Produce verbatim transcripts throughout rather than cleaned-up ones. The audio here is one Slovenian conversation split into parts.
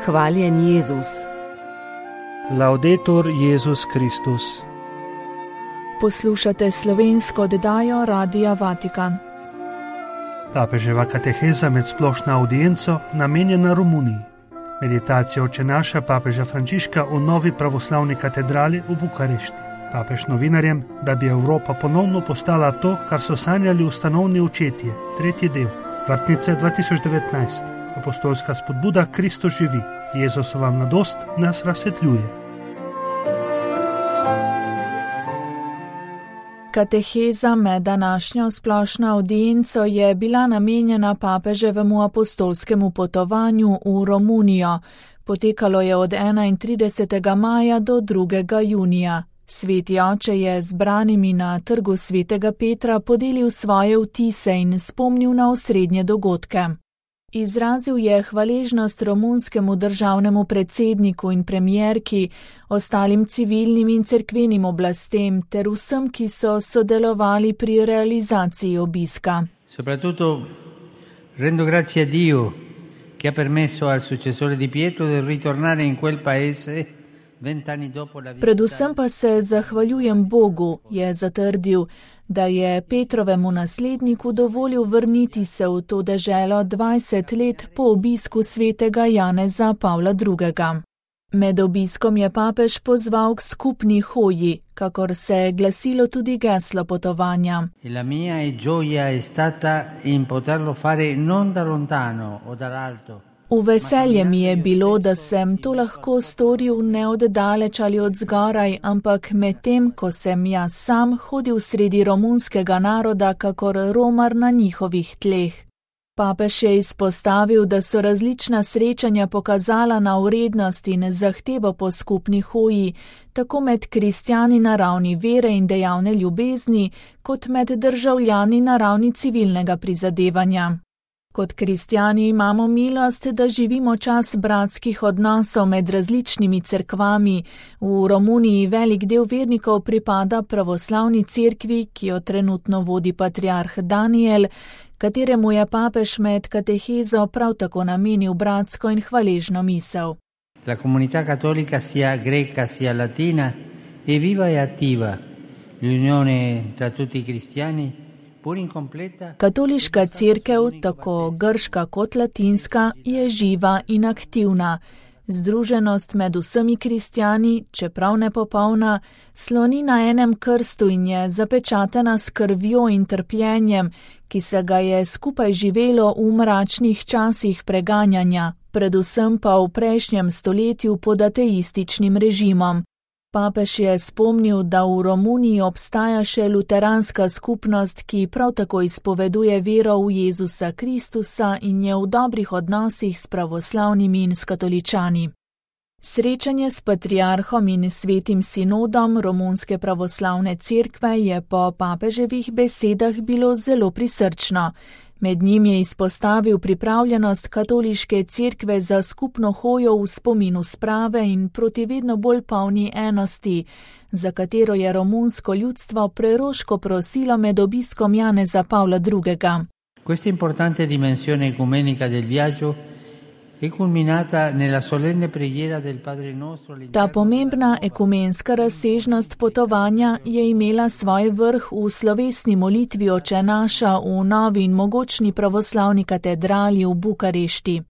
Hvaljen Jezus. Laudetur Jezus Kristus. Poslušate slovensko oddajo Radia Vatikan. Papeževa kateheza med splošno audienco namenjena Romuniji. Meditacija Oče naša papeža Frančiška v novi pravoslavni katedrali v Bukarešti. Papež novinarjem, da bi Evropa ponovno postala to, kar so sanjali ustanovni očetje, tretji del, Vrtnice dva tisoč devetnajst, apostolska spodbuda Kristus živi, Jezusova mladost nas razsvetljuje. Kateheza med današnjo splošno audienco je bila namenjena papeževemu apostolskemu potovanju v Romunijo. Potekalo je od enaintridesetega maja do drugega junija. Sveti oče je zbranimi na trgu svetega Petra podelil svoje vtise in spomnil na osrednje dogodke. Izrazil je hvaležnost romunskemu državnemu predsedniku in premierki, ostalim civilnim in cerkvenim oblastem ter vsem, ki so sodelovali pri realizaciji obiska. Soprattutto rendo grazie a Dio che ha permesso al successore di Pietro di ritornare in quel paese vent'anni dopo la visita. Predvsem pa se zahvaljujem Bogu, je zatrdil, da je Petrovemu nasledniku dovolil vrniti se v to deželo dvajset let po obisku svetega Janeza Pavla drugega. Med obiskom je papež pozval k skupni hoji, kakor se je glasilo tudi geslo potovanja. La mia gioia è stata in poterlo fare non da lontano o dall'alto. V veselje mi je bilo, da sem to lahko storil ne od daleč ali od zgoraj, ampak medtem, ko sem jaz sam hodil sredi romunskega naroda, kakor romar na njihovih tleh. Papež je izpostavil, da so različna srečanja pokazala na vrednost in zahtevo po skupni hoji, tako med kristjani na ravni vere in dejavne ljubezni, kot med državljani na ravni civilnega prizadevanja. Kot kristjani imamo milost, da živimo čas bratskih odnosov med različnimi cerkvami. V Romuniji velik del vernikov pripada pravoslavni cerkvi, ki jo trenutno vodi patriarh Daniel, kateremu je papež med katehezo prav tako namenil bratsko in hvaležno misel. La comunità cattolica sia greca sia latina è viva e attiva. L'unione tra tutti i cristiani Katoliška cerkev, tako grška kot latinska, je živa in aktivna. Združenost med vsemi kristjani, čeprav nepopolna, sloni na enem krstu in je zapečatena s krvjo in trpljenjem, ki se ga je skupaj živelo v mračnih časih preganjanja, predvsem pa v prejšnjem stoletju pod ateističnim režimom. Papež je spomnil, da v Romuniji obstaja še luteranska skupnost, ki prav tako izpoveduje vero v Jezusa Kristusa in je v dobrih odnosih s pravoslavnimi in s katoličani. Srečanje s patriarhom in svetim sinodom romunske pravoslavne cerkve je po papeževih besedah bilo zelo prisrčno. Med njim je izpostavil pripravljenost katoliške cerkve za skupno hojo v spominu sprave in proti vedno bolj polni enosti, za katero je romunsko ljudstvo preroško prosilo med obiskom Janeza Pavla drugega. Questa importante dimensione ecumenica del viaggio è culminata nella solenne preghiera del Padre Nostro. Ta pomembna ekumenska razsežnost potovanja je imela svoj vrh v slovesni molitvi Oče naša v novi in mogočni pravoslavni katedrali v Bukarešti.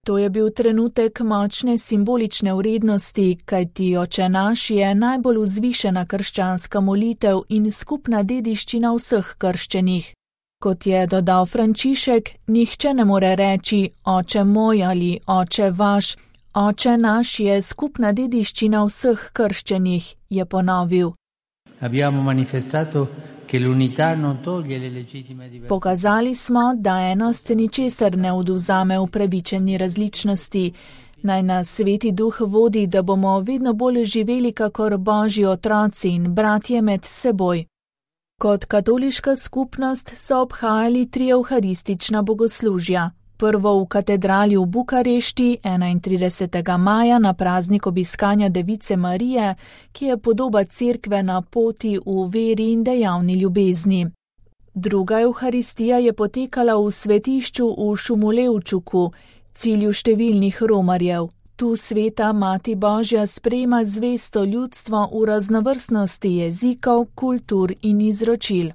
To je bil trenutek močne simbolične vrednosti, kajti Oče naš je najbolj vzvišena krščanska molitev in skupna dediščina vseh krščenih. Kot je dodal Frančišek, nihče ne more reči Oče moj ali Oče vaš, Oče naš je skupna dediščina vseh krščenih, je ponovil. Abbiamo manifestato che l'unità non toglie le legittime diversità. Pokazali smo, da enost ničesar ne odvzame upravičeni različnosti. Naj nas Sveti Duh vodi, da bomo vedno bolj živeli kakor Božji otroci in bratje med seboj. Kot katoliška skupnost so obhajali tri evharistična bogoslužja. Prvo v katedrali v Bukarešti enaintridesetega maja na praznik obiskanja Device Marije, ki je podoba cerkve na poti v veri in dejavni ljubezni. Druga evharistija je potekala v svetišču v Šumulevčuku, cilju številnih romarjev. Tu sveta Mati Božja sprejema zvesto ljudstvo v raznovrstnosti jezikov, kultur in izročil.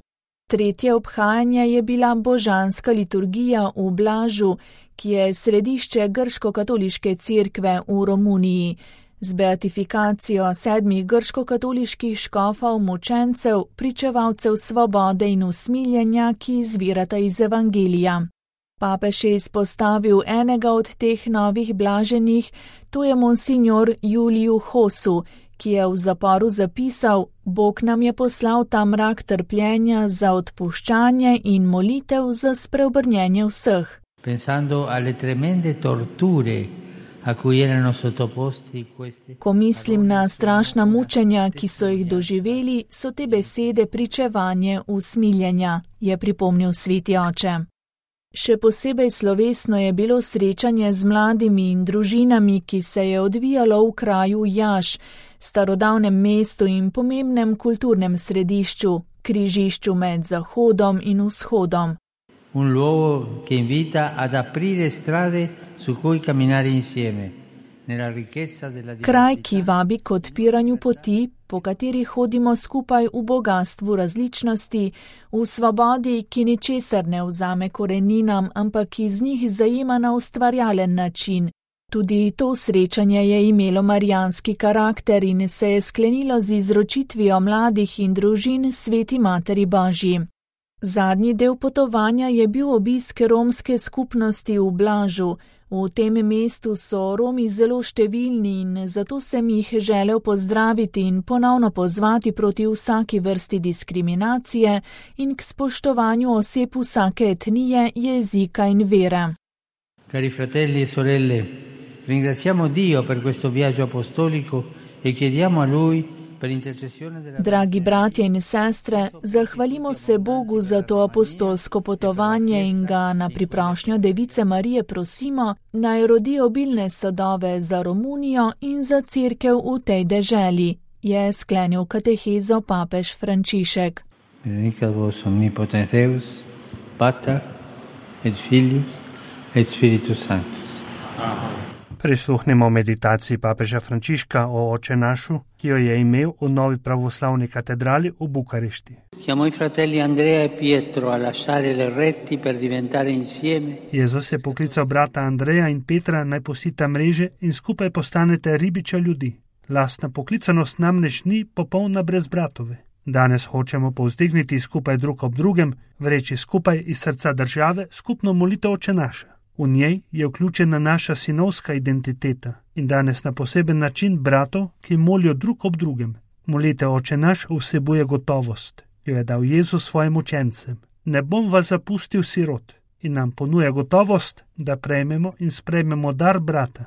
Tretje obhajanje je bila božanska liturgija v Blažu, ki je središče grško-katoliške cerkve v Romuniji. Z beatifikacijo sedmih grško-katoliških škofov mučencev, pričevalcev svobode in usmiljenja, ki izvirata iz Evangelija. Papež je izpostavil enega od teh novih blaženih, to je monsignor Juliju Hosu, ki je v zaporu zapisal: Bog nam je poslal ta mrak trpljenja za odpuščanje in molitev za spreobrnjenje vseh. Pensando alle tremende torture a cui erano sottoposti questi. Ko mislim na strašna mučenja, ki so jih doživeli, so te besede pričevanje usmiljenja, je pripomnil sveti oče. Še posebej slovesno je bilo srečanje z mladimi in družinami, ki se je odvijalo v kraju Jaš, starodavnem mestu in pomembnem kulturnem središču, križišču med Zahodom in Vzhodom. Un luogo che invita ad aprire strade su cui camminare insieme, nella ricchezza della diversità. Kraj, ki vabi k odpiranju poti, po kateri hodimo skupaj v bogatstvu različnosti, v svobodi, ki ničesar ne vzame koreninam, ampak iz njih zajema na ustvarjalen način. Tudi to srečanje je imelo marijanski karakter in se je sklenilo z izročitvijo mladih in družin Sveti Materi Božji. Zadnji del potovanja je bil obisk romske skupnosti v Blažu. V tem mestu so Romi zelo številni in zato sem jih želel pozdraviti in ponovno pozvati proti vsaki vrsti diskriminacije in k spoštovanju oseb vsake etnije, jezika in vere. Cari fratelli e sorelle, ringraziamo Dio per questo viaggio apostolico e chiediamo a Lui. Dragi bratje in sestre, zahvalimo se Bogu za to apostolsko potovanje in ga na priprošnjo Device Marije prosimo, naj rodi obilne sadove za Romunijo in za cerkev v tej deželi, je sklenil katehezo papež Frančišek. Benedicat vos omnipotens Deus, Pater et Filius et Spiritus Sanctus. Amen. Prisluhnimo meditaciji papeža Frančiška o Oče našu, ki jo je imel v novi pravoslavni katedrali v Bukarešti. Jezus je poklical brata Andreja in Petra, naj posita mreže in skupaj postanete ribiča ljudi. Lastna poklicanost namreč ni popolna brez bratove. Danes hočemo povzdigniti skupaj drug ob drugem, vreči skupaj iz srca države skupno molitev Oče naša. V njej je vključena naša sinovska identiteta in danes na poseben način bratov, ki molijo drug ob drugem. Molitev Oče naš vsebuje gotovost, jo je dal Jezus svojim učencem. Ne bom vas zapustil sirot, in nam ponuja gotovost, da prejmemo in sprejmemo dar brata.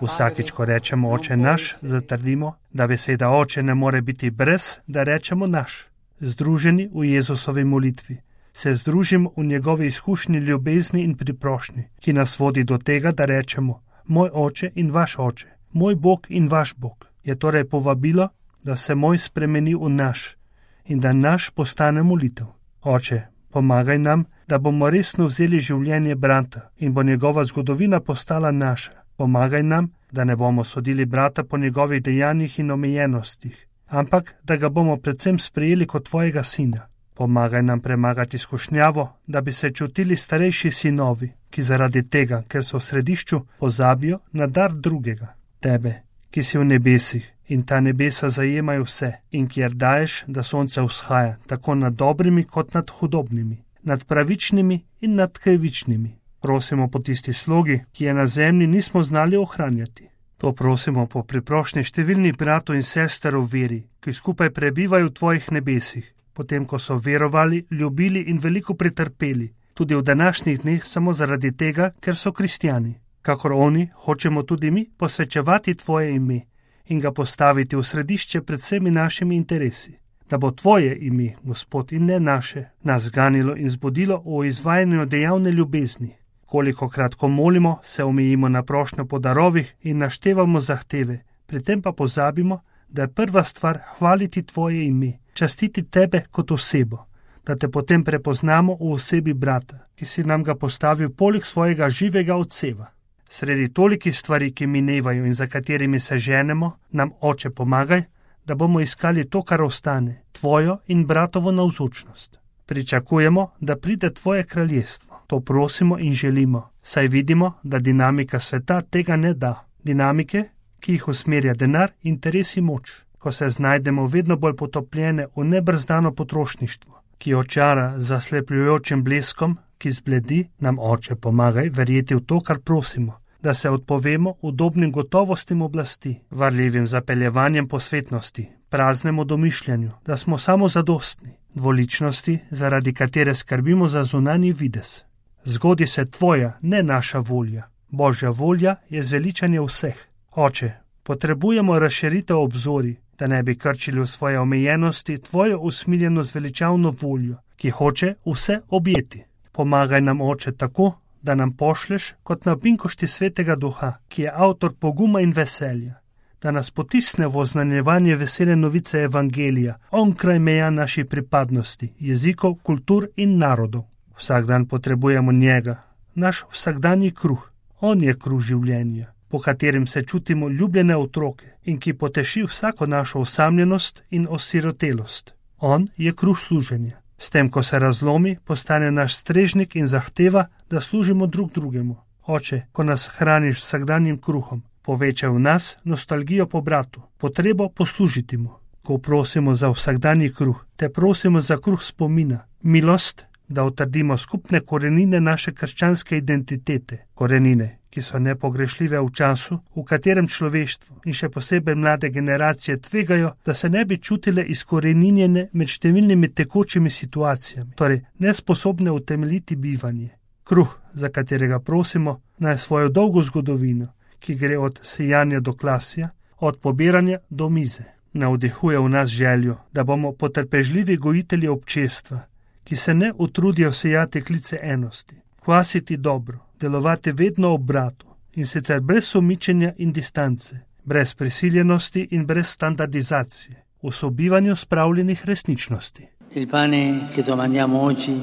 Vsakič, ko rečemo Oče naš, zatrdimo, da beseda Oče ne more biti brez, da rečemo naš. Združeni v Jezusovi molitvi, se združimo v njegovi izkušnji ljubezni in priprošnji, ki nas vodi do tega, da rečemo moj Oče in vaš Oče, moj Bog in vaš Bog. Je torej povabilo, da se moj spremeni v naš in da naš postane molitev. Oče, pomagaj nam, da bomo resno vzeli življenje brata in bo njegova zgodovina postala naša. Pomagaj nam, da ne bomo sodili brata po njegovih dejanjih in omejenostih, ampak da ga bomo predvsem sprejeli kot tvojega sina. Pomagaj nam premagati skušnjavo, da bi se čutili starejši sinovi, ki zaradi tega, ker so v središču, pozabijo na dar drugega. Tebe, ki si v nebesih in ta nebesa zajemajo vse in kjer daješ, da sonce vzhaja tako nad dobrimi kot nad hudobnimi, nad pravičnimi in nad krivičnimi. Prosimo po tisti slogi, ki je na zemlji nismo znali ohranjati. To prosimo po priprošnji številnih bratov in sester v veri, ki skupaj prebivajo v tvojih nebesih, potem ko so verovali, ljubili in veliko pretrpeli, tudi v današnjih dneh samo zaradi tega, ker so kristjani. Kakor oni, hočemo tudi mi posvečevati tvoje ime in ga postaviti v središče pred vsemi našimi interesi, da bo tvoje ime, Gospod, in ne naše, nas ganilo in zbudilo v izvajanju dejavne ljubezni. Kolikokrat, ko molimo, se omejimo na prošnjo po darovih in naštevamo zahteve, pri tem pa pozabimo, da je prva stvar hvaliti tvoje ime, častiti tebe kot osebo, da te potem prepoznamo v osebi brata, ki si nam ga postavil poleg svojega živega odseva. Sredi tolikih stvari, ki minevajo in za katerimi se ženemo, nam, Oče, pomagaj, da bomo iskali to, kar ostane, tvojo in bratovo navzočnost. Pričakujemo, da pride tvoje kraljestvo. To prosimo in želimo, saj vidimo, da dinamika sveta tega ne da. Dinamike, ki jih usmerja denar, interes in moč, ko se znajdemo vedno bolj potopljene v nebrzdano potrošništvo, ki očara zaslepljujočim bleskom, ki zbledi, nam, Oče, pomagaj verjeti v to, kar prosimo, da se odpovemo udobnim gotovostim oblasti, varljivim zapeljevanjem posvetnosti, praznemu domišljanju, da smo samo zadostni, dvoličnosti, zaradi katere skrbimo za zunanji videz. Zgodi se tvoja, ne naša volja. Božja volja je zveličanje vseh. Oče, potrebujemo razširitev obzori, da ne bi krčili v svoje omejenosti tvojo usmiljeno zveličavno voljo, ki hoče vse objeti. Pomagaj nam, Oče, tako, da nam pošleš kot na binkošti svetega duha, ki je avtor poguma in veselja, da nas potisne v oznanjevanje vesele novice evangelija, onkraj meja naših pripadnosti, jezikov, kultur in narodov. Vsak dan potrebujemo njega, naš vsakdanji kruh. On je kruh življenja, po katerem se čutimo ljubljene otroke in ki poteši vsako našo osamljenost in osirotelost. On je kruh služenja. S tem, ko se razlomi, postane naš strežnik in zahteva, da služimo drug drugemu. Oče, ko nas hraniš vsakdanjim kruhom, povečaj v nas nostalgijo po bratu, potrebo poslužiti mu. Ko prosimo za vsakdanji kruh, te prosimo za kruh spomina, milost, da utrdimo skupne korenine naše krščanske identitete, korenine, ki so nepogrešljive v času, v katerem človeštvo in še posebej mlade generacije tvegajo, da se ne bi čutile izkoreninjene med številnimi tekočimi situacijami, torej nesposobne utemeljiti bivanje. Kruh, za katerega prosimo, naj svojo dolgo zgodovino, ki gre od sejanja do klasja, od pobiranja do mize, navdihuje v nas željo, da bomo potrpežljivi gojitelji občestva, ki se ne utrudijo sejati klice enosti, kvasiti dobro, delovati vedno ob bratu in sicer brez sumičenja in distance, brez prisiljenosti in brez standardizacije, v sobivanju spravljenih resničnosti. Il pane che domandiamo oggi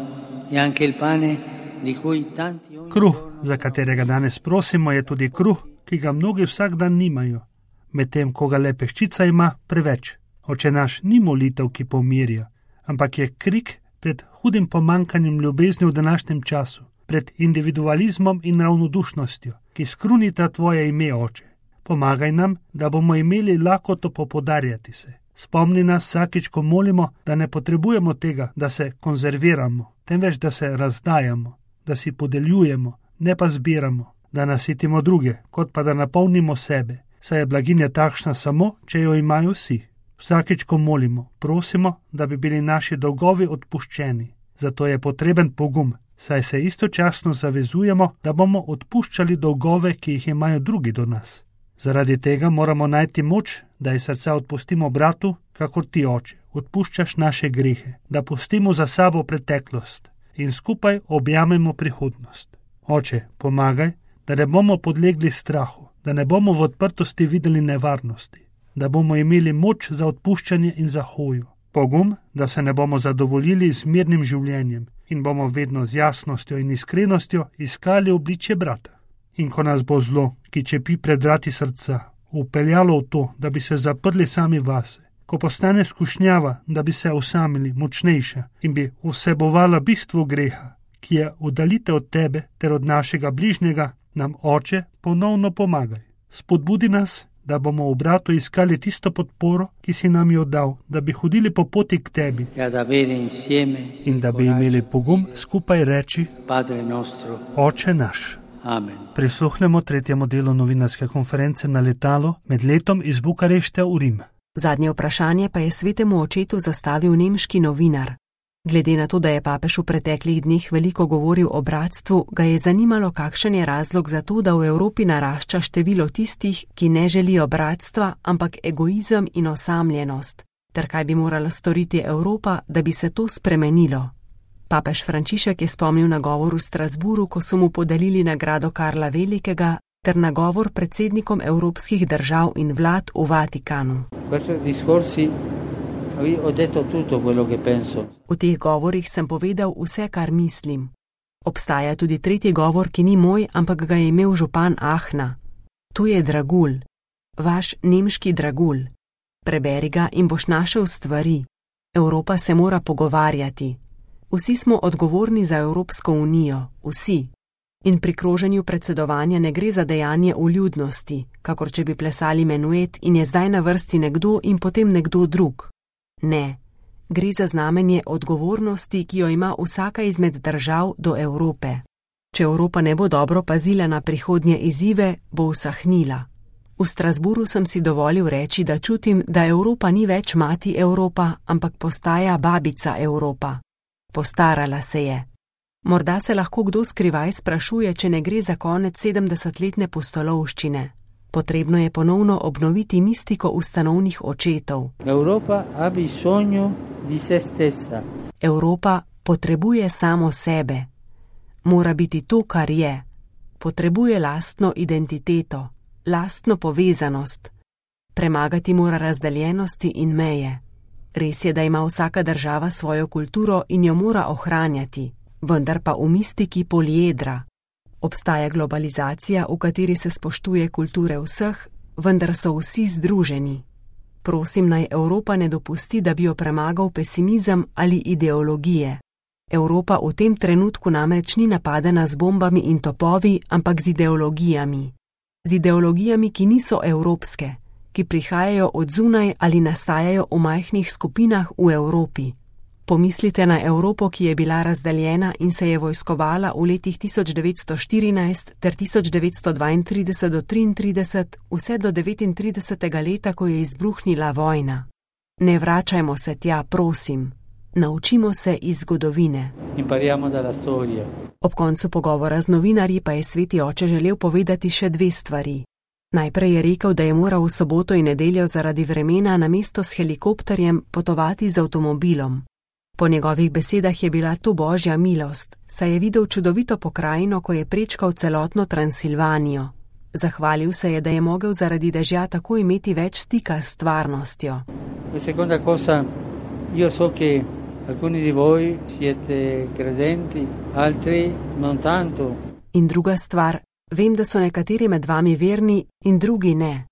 è anche il pane di cui tanti ogni Kruh, za katerega danes prosimo, je tudi kruh, ki ga mnogi vsak dan nimajo, medtem ko ga le peščica ima preveč. Oče naš ni molitev, ki pomirja, ampak je krik pred hudim pomankanjem ljubezni v današnjem času, pred individualizmom in ravnodušnostjo, ki skrunita tvoje ime, Oče. Pomagaj nam, da bomo imeli lakoto popodarjati se. Spomni nas vsakič, ko molimo, da ne potrebujemo tega, da se konzerviramo, temveč da se razdajamo, da si podeljujemo, ne pa zbiramo, da nasitimo druge, kot pa da napolnimo sebe, saj je blaginja takšna samo, če jo imajo vsi. Vsakič, ko molimo, prosimo, da bi bili naši dolgovi odpuščeni. Zato je potreben pogum, saj se istočasno zavezujemo, da bomo odpuščali dolgove, ki jih imajo drugi do nas. Zaradi tega moramo najti moč, da iz srca odpustimo bratu, kakor ti, Oče, odpuščaš naše grehe, da pustimo za sabo preteklost in skupaj objamemo prihodnost. Oče, pomagaj, da ne bomo podlegli strahu, da ne bomo v odprtosti videli nevarnosti, da bomo imeli moč za odpuščanje in za hojo. Pogum, da se ne bomo zadovoljili z mirnim življenjem in bomo vedno z jasnostjo in iskrenostjo iskali obličje brata. In ko nas bo zlo, ki čepi pred vrati srca, upeljalo v to, da bi se zaprli sami vase, ko postane skušnjava, da bi se osamili močnejša in bi vsebovala bistvo greha, ki je oddalitev od tebe ter od našega bližnjega, nam, Oče, ponovno pomagaj. Spodbudi nas, da bomo v bratu iskali tisto podporo, ki si nam jo dal, da bi hodili po poti k tebi in da bi imeli pogum skupaj reči: Oče naš. Amen. Prisluhnemo tretjemu delu novinarske konference na letalu med letom iz Bukarešte v Rim. Zadnje vprašanje pa je svetemu očetu zastavil nemški novinar. Glede na to, da je papež v preteklih dneh veliko govoril o bratstvu, ga je zanimalo, kakšen je razlog za to, da v Evropi narašča število tistih, ki ne želijo bratstva, ampak egoizem in osamljenost, ter kaj bi morala storiti Evropa, da bi se to spremenilo. Papež Frančišek je spomnil na govor v Strasburu, ko so mu podelili nagrado Karla Velikega, ter na govor predsednikom evropskih držav in vlad v Vatikanu. Ho detto tutto quello che penso. V teh govorih sem povedal vse, kar mislim. Obstaja tudi tretji govor, ki ni moj, ampak ga je imel župan Ahna. To je dragulj, vaš nemški dragulj. Preberi ga in boš našel stvari. Evropa se mora pogovarjati. Vsi smo odgovorni za Evropsko unijo, vsi. In pri kroženju predsedovanja ne gre za dejanje vljudnosti, kakor če bi plesali menuet in je zdaj na vrsti nekdo in potem nekdo drug. Ne, gre za znamenje odgovornosti, ki jo ima vsaka izmed držav do Evrope. Če Evropa ne bo dobro pazila na prihodnje izzive, bo usahnila. V Strasburu sem si dovolil reči, da čutim, da Evropa ni več mati Evropa, ampak postaja babica Evropa. Postarala se je. Morda se lahko kdo skrivaj sprašuje, če ne gre za konec sedemdesetletne pustolovščine. Potrebno je ponovno obnoviti mistiko ustanovnih očetov. Evropa ha bisogno di se stessa. Evropa potrebuje samo sebe. Mora biti to, kar je. Potrebuje lastno identiteto, lastno povezanost. Premagati mora razdeljenosti in meje. Res je, da ima vsaka država svojo kulturo in jo mora ohranjati, vendar pa v mistiki poliedra. Obstaja globalizacija, v kateri se spoštuje kulture vseh, vendar so vsi združeni. Prosim, naj Evropa ne dopusti, da bi jo premagal pesimizem ali ideologije. Evropa v tem trenutku namreč ni napadena z bombami in topovi, ampak z ideologijami. Z ideologijami, ki niso evropske, ki prihajajo od zunaj ali nastajajo v majhnih skupinah v Evropi. Pomislite na Evropo, ki je bila razdeljena in se je vojskovala v letih tisoč devetsto štirinajst ter tisoč devetsto dvaintrideset do triintrideset, vse do devetintridesetega leta, ko je izbruhnila vojna. Ne vračajmo se tja, prosim. Naučimo se iz zgodovine. Impariamo dalla storia. Ob koncu pogovora z novinarji pa je sveti oče želel povedati še dve stvari. Najprej je rekel, da je moral v soboto in nedeljo zaradi vremena namesto s helikopterjem potovati z avtomobilom. Po njegovih besedah je bila to božja milost, saj je videl čudovito pokrajino, ko je prečkal celotno Transilvanijo. Zahvalil se je, da je mogel zaradi dežja tako imeti več stika s stvarnostjo. Seconda cosa, io so che alcuni di voi siete credenti, altri non tanto. In druga stvar, vem, da so nekateri med vami verni in drugi ne.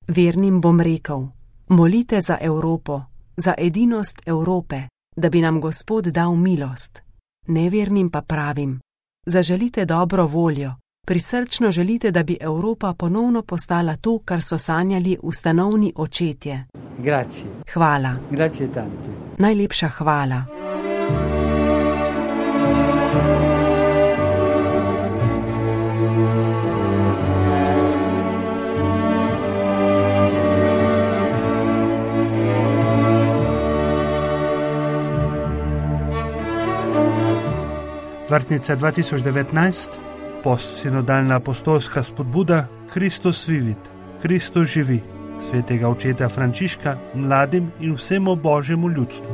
Vernim bom rekel, molite za Evropo, za edinost Evrope, da bi nam Gospod dal milost. Nevernim pa pravim, zaželite dobro voljo, prisrčno želite, da bi Evropa ponovno postala to, kar so sanjali ustanovni očetje. Grazie. Hvala. Grazie tante. Najlepša hvala. Vrtnica dva tisoč devetnajst, postsinodalna apostolska spodbuda Kristus vivit, Kristus živi, svetega očeta Frančiška, mladim in vsemu božjemu ljudstvu.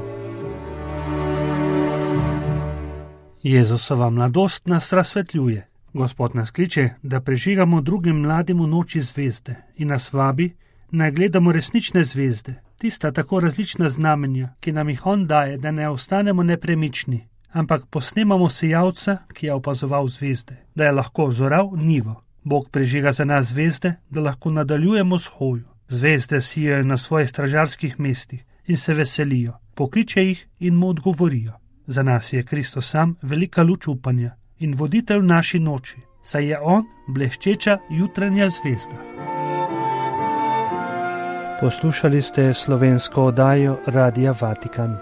Jezusova mladost nas razsvetljuje. Gospod nas kliče, da prežigamo drugim mladim v noči zvezde in nas vabi, naj gledamo resnične zvezde, tista tako različna znamenja, ki nam jih on daje, da ne ostanemo nepremični, ampak posnemamo sejavca, ki je opazoval zvezde, da je lahko zoral nivo. Bog prežiga za nas zvezde, da lahko nadaljujemo s hojo. Zvezde sijajo na svojih stražarskih mestih in se veselijo, pokliče jih in mu odgovorijo. Za nas je Kristus sam velika luč upanja in voditelj v naši noči, saj je on bleščeča jutranja zvezda. Poslušali ste slovensko oddajo Radia Vatikan.